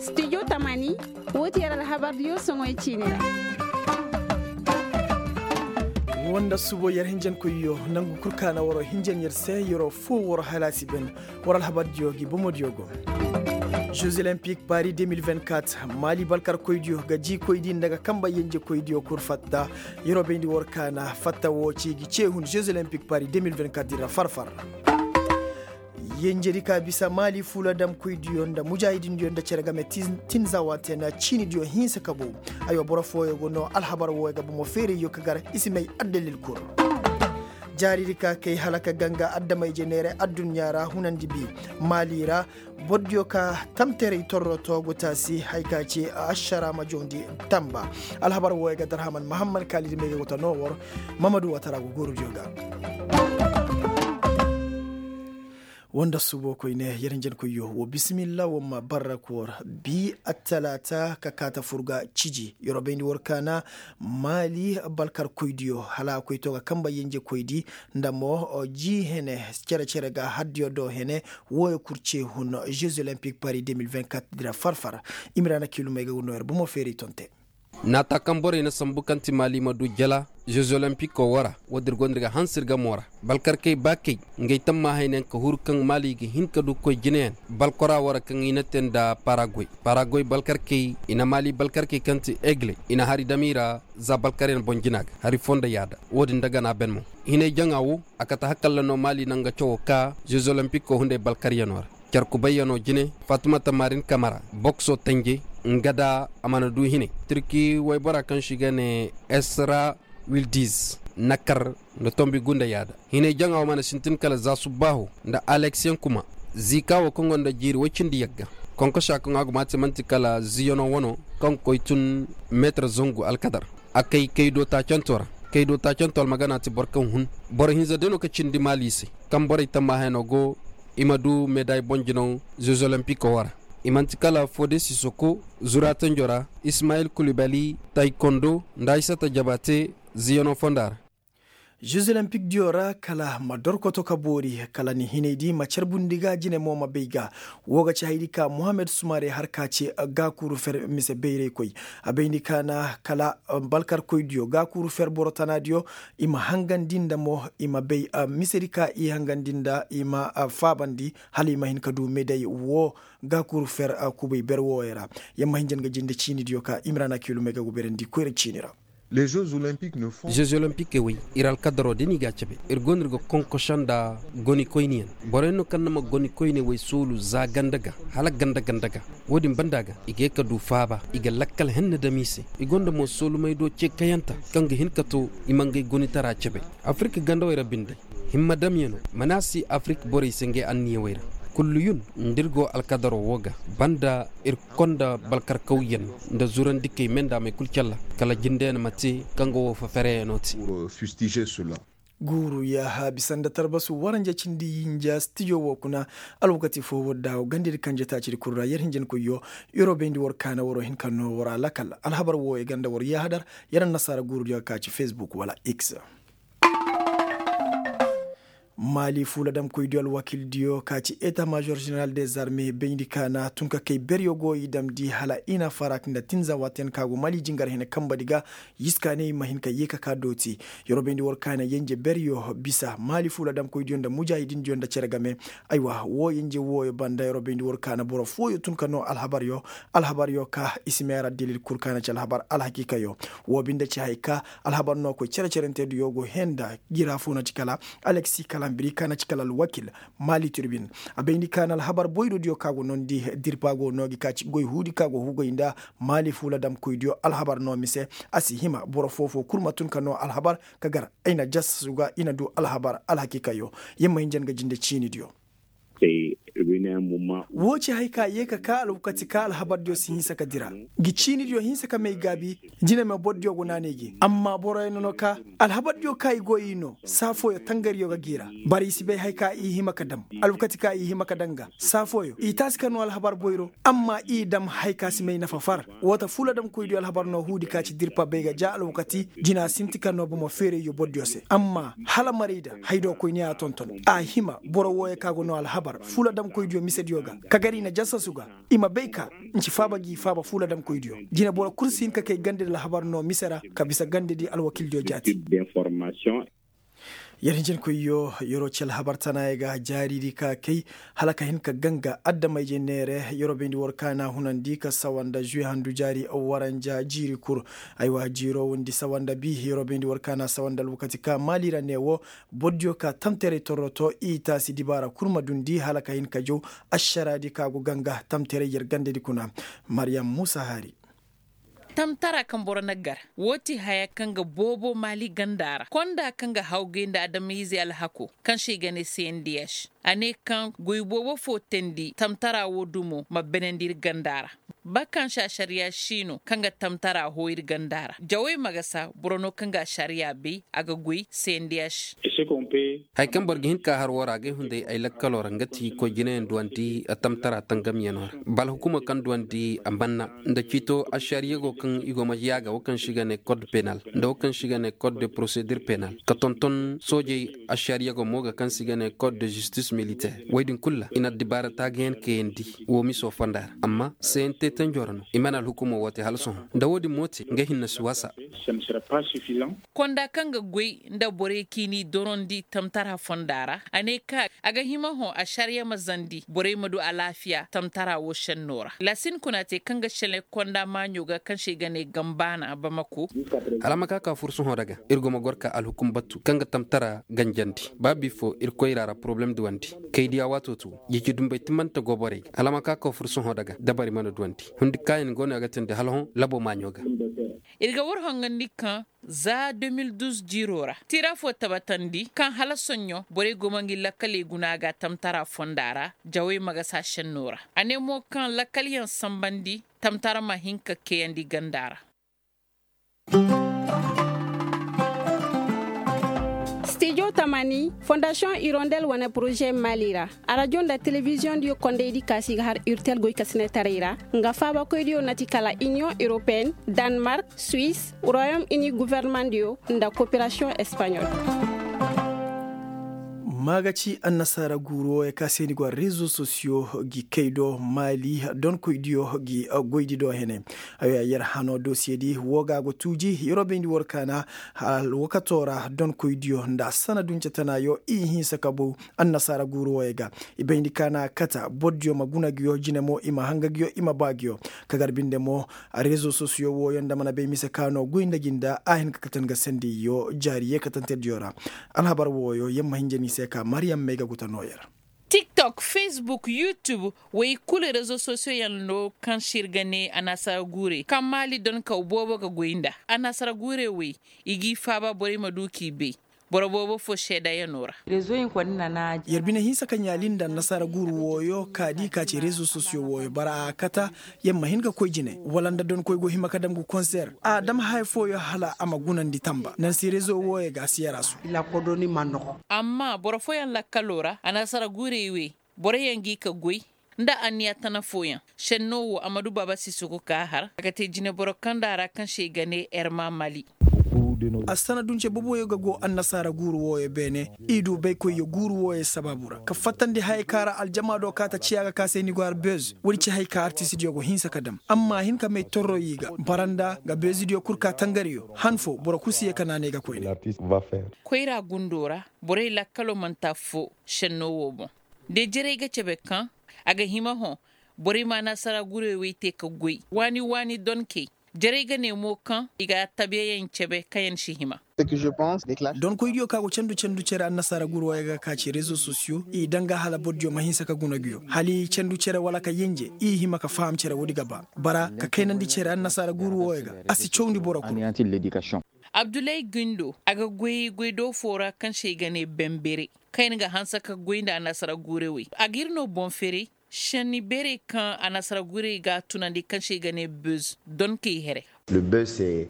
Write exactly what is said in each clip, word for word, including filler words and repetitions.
Studio tamani, woo ti yer alhabardiyo soŋoy ciini ra. Woo nda subo yer hinjankoyyo, nangu kul kaana waroo hinjan yer se, yeroo foo waroo halaasi ben. War alhabardiyo gi bomodiyo go. Jeux olympique paris deux mille vingt-quatre, maali balkarkoydiyo ga jiikoydi nda ga kamba yenjekoydiyo kul fatta. Yeroo bayndi war kaana fatta woo ci gi cee hun jeux olympique paris deux mille vingt-quatre di ra far-far. Yenjedi ka bisa maali fuuladamkoydiyo nda mujaahidindiyo nda cere game tinza waate na ciinidiyo hinsa ka bow. Aywa boro fooyo go no alhabar wooyo ga bomo feerayyo ka gar i si may addalil kul. Jaaridi ka kay hala ka ganga adama-ije neeray adduɲɲa ra hunandi bi maali ra. Bordiyo ka tamteray torro toogu taasi hay ka ci ašara ma joondi tamba. Alhabar wooyo ga darhaman mahammad kaalidi may ga go ta noo war. Mamadu watara go guurudiyo ga. Woo nda subo koyne yer hinjankoyyo woo bisimilla woo ma barra koor. Bi attalaata ka kaata fur ga ciji yeroo bayndi war kaana. Maali balkarkoydiyo hala a koy to ga kamba yenjekoydi nda mo ji hene cere-cere ga hardiyo do hene. Wooyo kul cee hun jeux olympique paris deux mille vingt-quatre di ra far-far. Imiraana kiilumey ga no yer bomo feeray tonte. Naata kaŋ borey na sambu kaŋ ti maali ma du jala jeux olympique woo ra. Woodin ir gonda ir ga hanse ir gamo ra. Balkarkey ba kay ngey tammaahaynayaŋ ka huru kaŋ maali ga hin ka du koy jineyaŋ balkora woo ra kaŋ i na te nda paragoy. Paragoy balkarkey i na maali balkarkey kaŋ ti egle i na hari dam i ra. Za balkaryaŋ boŋ jina ga hari foo nda yaada. Woodin nda gana ben mo hinay jaŋa woo a kate hakalla no maali na nga cawoo ka jeux olympique woo hunday balkaryanoo ra. Car kubayyanoo jine fatumata marin kamara boksoo tanje nga da a mana du hinay. Tirki waybora kaŋ se i ga ne esra wildiz na kar nda tombi gunda yaada. Hinay jaŋa wo mana sintin kala za subbaaho nda aleksiyaŋ kuma. Ziika wo kaŋ gonda jiiri woy cindi yagga. Konkosha kaŋ a guma te man'ti kala ziyano wano kaŋ ga koy tun meetar zangu alkadar. A kay kaydo taacanto ra. Kaydo taacanto almagana ti boro kaŋ hun. Boro hinza day no ka cindi maali se kaŋ borey tammaahayno go. I ma du meday boŋ jinaw zez olimpiko wo ra. I man'ti kala fode sisoko zura tanjo ra, ismayil kulibali taykondo nda aysata jabate ziyano fonda ra. Zez olimpik diyo ra kala ma dorkoto ka boori kala ni hinay di ma carbundi ga jine mo ma bay ga. Wo ga ci haydi ka mohammed sumare har ka ci gaakuuru fer mise bayraykoy. A bayndi ka na kala balkarkoy diyo gaakuuru fer boro tana diyo. I ma hangandi nda mo i ma bay misedi ka i hangandi nda i ma faabandi hala i ma hin ka du meday wo. Gaakuuru fer kubay ber wooyo ra. Yamma hinjan ga jinde ciini diyo ka imrana kiilumey ga guberandi koyra ciini ra. Zez olimpikey wey ir alkadaro da ni ga a cabe. Ir go no ir ga konkoso nda gonikoyniyaŋ. Boroyaŋ no kaŋ na ma gonikoyney wey soolu za ganda ga hala ganda ganda ga. Wo-din banda ga i ga ye ka du faaba i ga lakkal henna dam i se. I gonda mo soolumey do ce kayanta kaŋ ga hin ka to i ma ngey gonitara cabe. Afirka gandawey ra binde himma damyano mana si afirka borey se ngey anniyawey ra. Kulluyun nda ir go alkadaro wo ga banda ir konda balkarkawyaŋ nda zurandikey me nda a may kul calla kala jindeyaŋ ma te kaŋ ga wo fafereyaŋo te. Guuru yaaha bisa nda tarbasu waranja cindi yinja stijo wo kuna. Alwakati fo war daawo gandedi kanje taacidi kul ra yer hinjankoyyo. Yer wo bayndi war kaana war wo hin ka no war a lakal alhabar wo i ganda war yaahadar. Yer annasaara guurudiyo ka ci fesbuk wala x. Maali fuuladamkoydiyo alwakildiyo ka ci eta major jeneral des arme bayndi ka na tun ka kay beryo go i damndi hala i na farak nda tinza waatiyaŋ ka go maali jingar hene kambadi ga. Yiskaaney ma hin ka ye ka ka dooti. Yer wo bayndi war kaana yenje beryo bisa maali fuuladamkoydiyo nda mujaahidindiyo nda cere game. Aywa wo yenje wooyo banda yer wo bayndi war kaana boro fooyo tun ka no alhabaryo. Alhabaryo ka i si meera dilil kul kaana ci alhabar alhakiikayo. Wo binde ci hay ka alhabar no koy cere-cerentediyo go henda. Jira fo na ci kala aleksi kalambiri ka na ci kala alwakil. Maali tirbin a bayndi ka na alhabar boydo diyo ka go nondi dirpa go no gi ka ci goy huudi ka go hugay nda maali fuuladamkoydiyo alhabar no mise. A si hima boro foo-foo kul ma tun ka no alhabar ka gar ay na jasasu ga i na du alhabar alhakiikayo. Yer ma hinjan ga jinde ciinidiyo. Woo ci haya ka yee ka kaa alwakati ka alhabardiyo si hinsa ka dira. Ngi ciinidiyo hinsa ka may gaabi. Jine me bordiyo go naanay gi amma boroyaŋ no ka alhabardiyo ka i go i no saa fooyo tangariyo ga g'i ra. Bara i si bay haya ka i hima ka dam alwakati ka i hima ka dam ga saa fooyo i taasi ka noo alhabar boyro. Amma i dam haya ka si may nafa far. Woo ta fuladamkoydiyo alhabar no huudi ka ci dirpa bay ga ja alwakati. Jina sinti ka noo bomo feerayyo bordiyo se amma hala maray da haydo koyne a tonton a hima boro wooyo ka go noo alhabar fuladamkoydiyo misediyo ga ka gar i na jasasu ga. I ma bay ka nci faaba ngi faaba fuuladamkoydiyo. Jine boro kul si hin ka kay gandedi alhabar no mise ra ka bisa gandedi alwakildiyo jaati. Yer hinjankoyyo yer'o ci alhabar tanaayey ga jaaridi ka kay hala ka hin ka ganga adama-ije neere yer'o bayndi war kaana hunandi ka sawa nda žuwe handu jaari waranja jiiri kul. Aywa jiiro windi sawa nda bi yer'o bayndi war kaana sawa nda alwakati ka maali ra ne wo. Bordiyo ka tamteray torroto i taasi dibaara kul ma dundi hala ka hin ka jaw ašaraadi ka go ganga tamteray yer gandedi kuna. Maryam muusa haari. Tamtara kaŋ boro na gar woo ti haya kaŋ ga boobo maali ganda ra konda kaŋ ga hawgay nda adamiizey alhako kaŋ se i ga ne cndh. A ne kaŋ goy boobo fo teendi tamtara woo dumo ma benandi ir ganda ra. Ba kaŋ se ašariya si no kaŋ ga tamtara hoo ir ganda ra jawey ma ga sa boro no kaŋ ga ašariya bay a ga goy cndh. Haya kaŋ boro ga hin ka har woo ra agay hunday ay lakkaloo ra nga ti koy jinayaŋ duwandi tamtara tangamyanoo ra. Ba alhukumoo kaŋ duwandi a manna nda ciito ašariya go kaŋ i go ma yaaga woo kaŋ se i ga ne kod penal nda woo kaŋ se i ga ne kod de porosedir penal ka tonton soojey ašariya go mo ga kaŋ se i ga ne kod de žistis militer woy din kul ra i na addibaara taagayaŋ kayandi woo miso fonda ra. Amma cnt tanjoo ra no i mana alhukumoo woo te hala sohõ nda woo din mo te nga hinne si waasa. Konda kaŋ ga goy nda borey kaŋ i n'i dorandi tamtara fonda ra a ne ka a ga hima hõ ašariya ma zandi borey ma du alaafiya tamtara woo šennoo ra laasin kuna te kaŋ ga šenlay konda maaɲo ga kaŋ se i ga ne gambaana bamako. Hala a ma ka ka fur sohõ daga ir go ma gor ka alhukum batu kaŋ ga tamtara ganjandi ba bifo ir koyra ra poroblem duwandi kay diya waato tu. Jiji dumbey timante go borey ga hala a ma ka ka fur sohõ daga dabari mana duwandi hundi kaayaŋ go no a ga teendi hala hõ labo maaɲo ga. Ir ga war hongandi kaŋ za deux mille douze jiiroo ra tiira fo tabatandi kaŋ hala soɲõ borey go ma ngi lakkaley guna ga tamtara fonda ra jawey ma ga saa šennoo ra. A ne mo kaŋ lakkalyaŋ sanbandi tamtara ma hin ka kayandi ganda ra. Stijo tamani fondasiyoŋ irondel wane poroze maali ra. Arajo nda telebiziyoŋ diyo kondaydi kaasi ga har urtel goykasinetaray ra nga faabakoydiyo na ti kala iniyoŋ europeen, danmark, suis, royom ini governemandiyo nda koperasiyoŋ espaɲol. Maaga ci annasaara guuru wooyo ka se ni go rezo sosiyo gi kay do maali donkoydiyo gi goydi do hene. Yer hano dosiyedi woo ga go tuuji yeroo bayndi war kaana alwakatoo ra donkoydiyo nda sanadunce tanaayo i hinsa ka bow annasaara guuru wooyo ga. I bayndi ka na kata bordiyo ma guna nguyo jine mo i ma hanga nguyo i ma ba nguyo. Ka gar binde mo rezo sosiyo wooyo nda mana bay mise ka no goy nda gi nda a hin ka kate nga sendiyyo jaari yeekatantediyo ra. Alhabar wooyo yer ma hinja ni se ka mariyam may ga guta nooyer. Tiktok, facebook, youtube, wey kulu rezo sosiyoyaŋ no kaŋ se ir ga ne annasaara guurey kaŋ maali donkaw boobo ga goy nda annasaara guurey wey. I g'i faaba borey ma du k'i bay. Boro boobo fo seedayanoo ra. Yer bine hinsa ka ɲaali nda annasaara guuru wooyo ka di ka ci rezo sosiyo wooyo bara a kata. Yer ma hin ka koy jine wala nda donkoy go hima ka dam ga konser a dam haya fooyo hala a ma gunandi tamba nansi rezo wooyo ga a si yaraasu. Amma boro fooyaŋ lakkaloo ra annasaara guurey wey boroyaŋ g'i ka goy nda anniya tana fooyaŋ. Šennoo wo a ma du baaba sisoko ka har a ga te jineboro kaŋ nda a ra kaŋ se i ga ne erma mali. Assanadunce boboyo ga go annasaara guuru wooyo beene. I du baykoyyo guuru wooyo sabaabu ra ka fattandi hayey kaŋ ra aljama do kaata ciya ga ka se ni go har bez woodi ci hay ka artistidiyo go hinsa ka dam amma a hin ka may torro i ga baranda ga bezidiyo kul ka tangariyo han fo boro kul si ye ka naanay ga koyne. Koyra gundo ra borey lakkalo manti affo šenno wo boŋ. De jarey ga cabe kaŋ a ga hima hõ borey ma annasaara gurey wey te ka goy waani waani donkey. Jarey ga ne mo kaŋ i ga tabiyayaŋ cabe kaŋ yaŋ si hima. Donkoydiyo kaŋ a go candu candu cere annasaara guru wooyo ga ka ci rezo sosiyo i daŋ ga hala bordiyo ma hinsa ka guna nguyo hala i candu cere wala ka yenje i hima ka faham cere woodi ga ba bara ka kaynandi cere annasaara guru wooyo ga a si cawndi boro kulu. Abdulay gundo a ga goy goy do fo ra kaŋ se i ga ne bembere kaŋ yaŋ ga hanse ka goy nda annasaara gurey wey a ga ir no boŋ ferey. Šenni beerey kaŋ annasaara guurey ga a tunandi kaŋ se i ga ne bez, donkey here.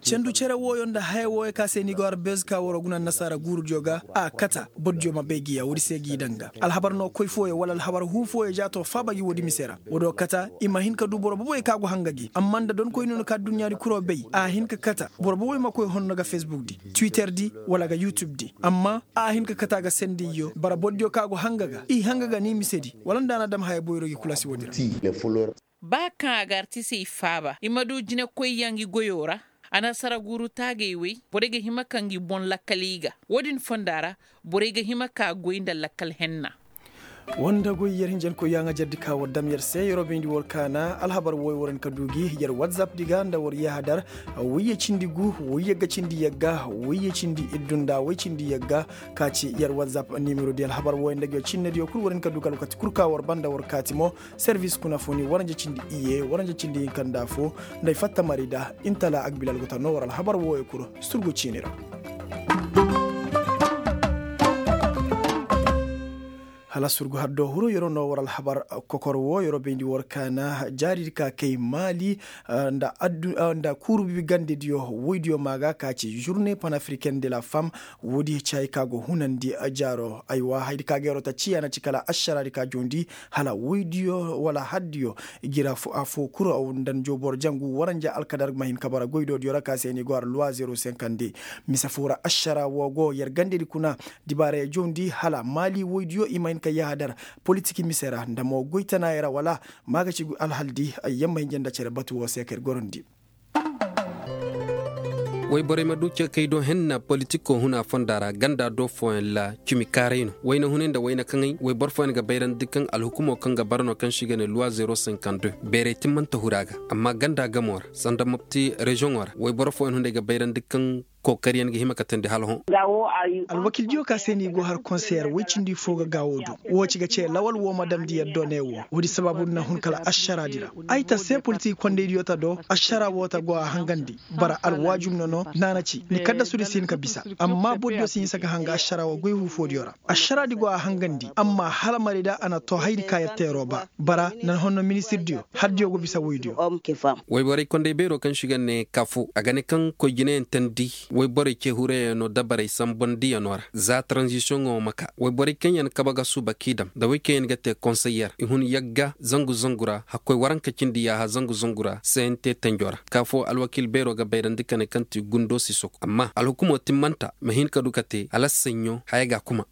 Cendu cere wooyo nda haya wooyo ka se ni ga war bez ka war guna annasaara guurudiyo ga, a kata bordiyo ma bay gi ya woodi se g'i daŋ ga. Alhabar no koy fooyo wala alhabar huu fooyo ja to faaba gi woodi mise ra. Woodiyo kata i ma hin ka du boro boboyo ka go hanga gi amma nda donkoyniyo no ka adduɲɲaadi kuro bay, a hin ka kata boro boboyo ma koy honno ga fesbuk di, twitter di, wala ga yutub di. Amma a hin ka kata ga sendiyyo bara bordiyo ka go hanga ga i hanga ga ni misedi, wala nda a na dam haya boyro gi kula si woodi ra. Ba kaŋ a ga artisey faaba i ma du jinekoyyaŋ ngi goyo ra. Anasara guuru taagey wey borey ga hima ka ngi boŋ lakkal i ga. Wo-din fonda ra, borey ga hima ka goy nda lakkal henna. Woo nda goy yer hinjankoyyaŋ a jardi ka war dam yer se yeroo bayndi war kaana alhabar wooyo war hin ka du gi yer watsap di ga nda war yahadar. Woyye cindi gu, woyye ga cindi yagga, woyye cindi iddu nda woy cindi yagga. Ka ci yer watsap nimero di alhabar wooyo nda ngi cinnediyo kul war hin ka du ga alwakati kul ka war banda war kaati mo. Servis kuna fo ni waranja cindi iyye waranja cindi hinka nda fo. Nda ay fatta mari da intala agbilal go ta no war alhabar wooyo kul. Surgu ciini ra. Hala surgu har do huru yeroo no war alhabar kokor woo yeroo bayndi war kaana jaaridi ka kay maali. Nda kuuru bibi gandediyo woydiyo ma ga ka ci žurne panafriken de la fam. Woodi caayi ka go hunandi jaaro aywa haydi ka ga yeroo ta ciya na ci kala ašaraadi ka joondi. Hala woydiyo wala haddiyo gira afo kuru aw nda njoo boro jangu waranja alkadar ma hin ka bara goydoodiyo ra ka se ni go har luwa zero senkande. Mise foo ra ašara woo go yer gandedi kuna. Dibaaraya joondi hala maali woydiyo i ma hin ka yahadar politik mise ra nda mo goy tanaaya ra wala. Maagaci alhaldi ay yamma hinja nda cere batu woo se ka ir gorandi. Woyborey ma du cekey do henna politikoo huna fonda ra ganda do fooyaŋ ra cimi kaaray no wayna hunay nda wayna kaŋay woyboro fooyaŋ ga bayrandi kaŋ alhukumoo kaŋ ga bara no kaŋ se i ga ne luwa zero senkande beerey timmanta huru a ga. Amma ganda gamoo ra sanda mopti reziyoŋoo ra woyboro fooyaŋ hunday ga bayrandi kaŋ kookariyaŋ ga hima ka teendi hala hõ. Alwakildiyo ka se no i go har konseyer woy cindi foo ga gaawo do. Woo ci ga ce lawal woo ma damndi yer do ne woo woodi sabaabu nda na hun kala ašaraadi ra. Ay ta se politik kondaydiyo ta do ašara woo ta go a hangandi. Bara alwaajum no no naana ci ni kaddasudi si hin ka bisa. Amma bordiyo si hinsa ka hanga ašara woo goy huufoodiyo ra. Ašaraadi go a hangandi amma hala marayda a na too hayadi ka yer teeroo ba. Bara nan honno ministirdiyo hardiyo go bisa woydiyo. Woyborey konday beeroo kaŋ se i ga ne kafu a ga ne kaŋ koy jinayaŋ teendi. Woyborey cee hurayaŋo dabarey sambandiyaŋo ra za taranzisiyoŋo ma ka woyborey kaŋ yaŋ kabe ga suuba k'i dam nda wey kaŋ yaŋ ga te konseyer i hun yagga zangu zangu ra hakkoy waranka cindi yaaha zangu zangu ra se yaŋ te tenjo ra. Kafu alwakiil beeroo ga bayrandi ka ne kaŋ ti gundo si soku amma alhukumoo timmanta ma hin ka du ka te hala saɲɲo haya ga a kuma.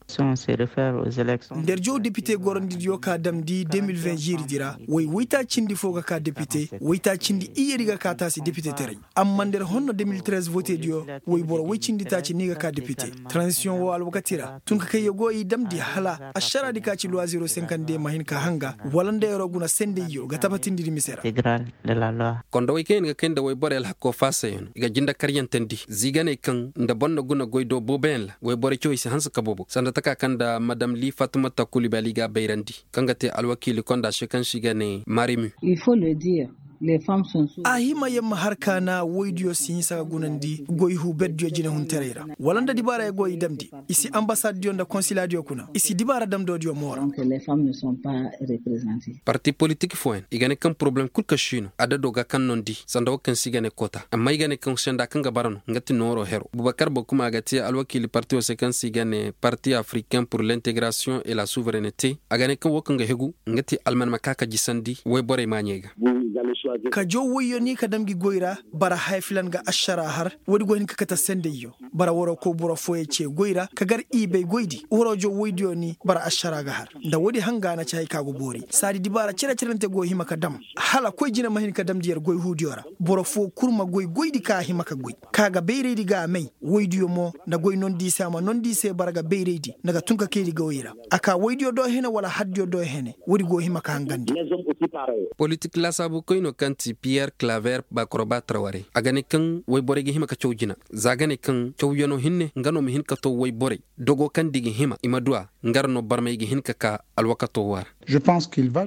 Nda yer jaw depite gorandidiyo ka damndi deux mille vingt ziiridi ra woy woytaacindi foo ga ka depite woytaacindi iyyedi ga ka taasi depitetaray. Amma nda yer honno deux mille treize votediyo woy boro woy cindi taaci no i ga ka depite. Taranzisiyoŋ woo alwakati ra tun ka kay yer go i damndi hala ašaraadi ka ci luwa zero senkande ma hin ka hanga wala nda yeroo guna sendayyo ga tabatindi mise ra. Kondowey kaŋ yaŋ ga kay nda woyborey alhakoo faasayano i ga jindakaryaŋ teendi ziiganey kaŋ nda boro na guna goy do booboyaŋ ra woyborey cawey si hanse ka boobo sanda taka kaŋ nda madam li fatimata kulibali ga a bayrandi kaŋ ga te alwakiili konda se kaŋ se i ga ne marimi. A hima yer ma har kaana woydiyo si hinsa ka gunandi goy huu berdiyo jinehuntaray ra wala nda dibaara yer go i damndi. I si ambasaddiyo nda konsilaadiyo kuna i si dibaara damndoodiyo moora. Parti politik fooyaŋ i ga ne kaŋ porobalem kul ka si no adado ga kaŋ nondi sanda wo kaŋ se i ga ne koota amma i ga ne kaŋ senda kaŋ ga bara no nga ti nooroo heroo bubakar boo kuma a ga te alwakiili parti wo se kaŋ se i ga ne parti africain pur l'integrasiyoŋ et la suverenete. A ga ne kaŋ wo kaŋ ga hegu nga ti alman ma ka ka jisandi woyborey maaɲey ga. Ka jaw woyyo ni ka dam ngi goy ra bara haya filan ga ašara har woodi go hin ka kate sendayyo. Bara waroo koy boro fooyey ce goy ra ka gar i bay goydi waroo jaw woydiyo ni bara ašara ga har nda woodi hanga na ci hay ka go boori saadi dibaara cere-cerente go hima ka dam. Hala koy jine ma hin ka damndi yer goy huudiyo ra boro foo kul ma goy goydi ka a hima ka goy ka ga bayraydi ga a may. Woydiyo mo nda goy nondi i se a ma nondi i se bara ga bayraydi nda ga tun ka kaydi gawey ra. A ka woydiyo do hene wala haddiyo do hene woodi go hima ka hangandi. Politik laasaabukoynoo kaŋ ti piyer klaver bakoroba tarwarey a ga ne kaŋ woyborey ga hima ka caw jina za ga ne kaŋ cawyanoo hinne nga no ma hin ka too woyborey dogoo kaŋ nda i ga hima i ma du a. Nga ra no barmey ga hin ka ka alwakatoo woo ra.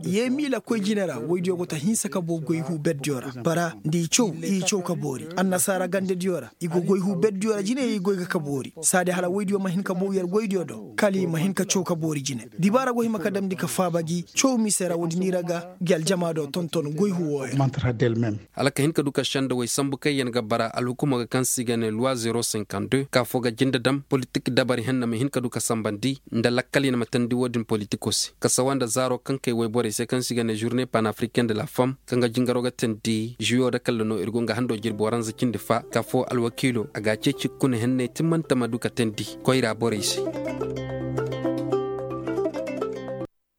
Yee miila koy jine ra woydiyo go ta hinsa ka boo goy huu berdiyo ra bara nda i caw i caw ka boori annasaara gandediyo ra i go goy huu berdiyo ra jine i goy ga ka boori saadi hala woydiyo ma hin ka boo yer goydiyo do kala i ma hin ka caw ka boori jine dibaara go hima ka damndi ka faaba gi caw mise ra woodi niira ga gi aljamaado tonton goy huu wooyo. Hala ka hin ka du ka sendawey sambu kaŋ yer ga bara alhukumo ga kaŋ se i ga ne luwa zero cinquante deux ka foo ga jinde dam politik dabari henna ma hin ka du ka sambandi nda lakkal yer ma teendi woodin politikoo se ka sawa nda zaaro kaŋ kay woyborey se kaŋ se i ga ne žurne panafricain de la femme kaŋ ga jingaroo ga teendi žuyo da kalla no ir go nga hando jirbi waranza cindi fa ka foo alwakiilo a ga a ceeci kuna henney timmante ma du ka teendi koyra borey se.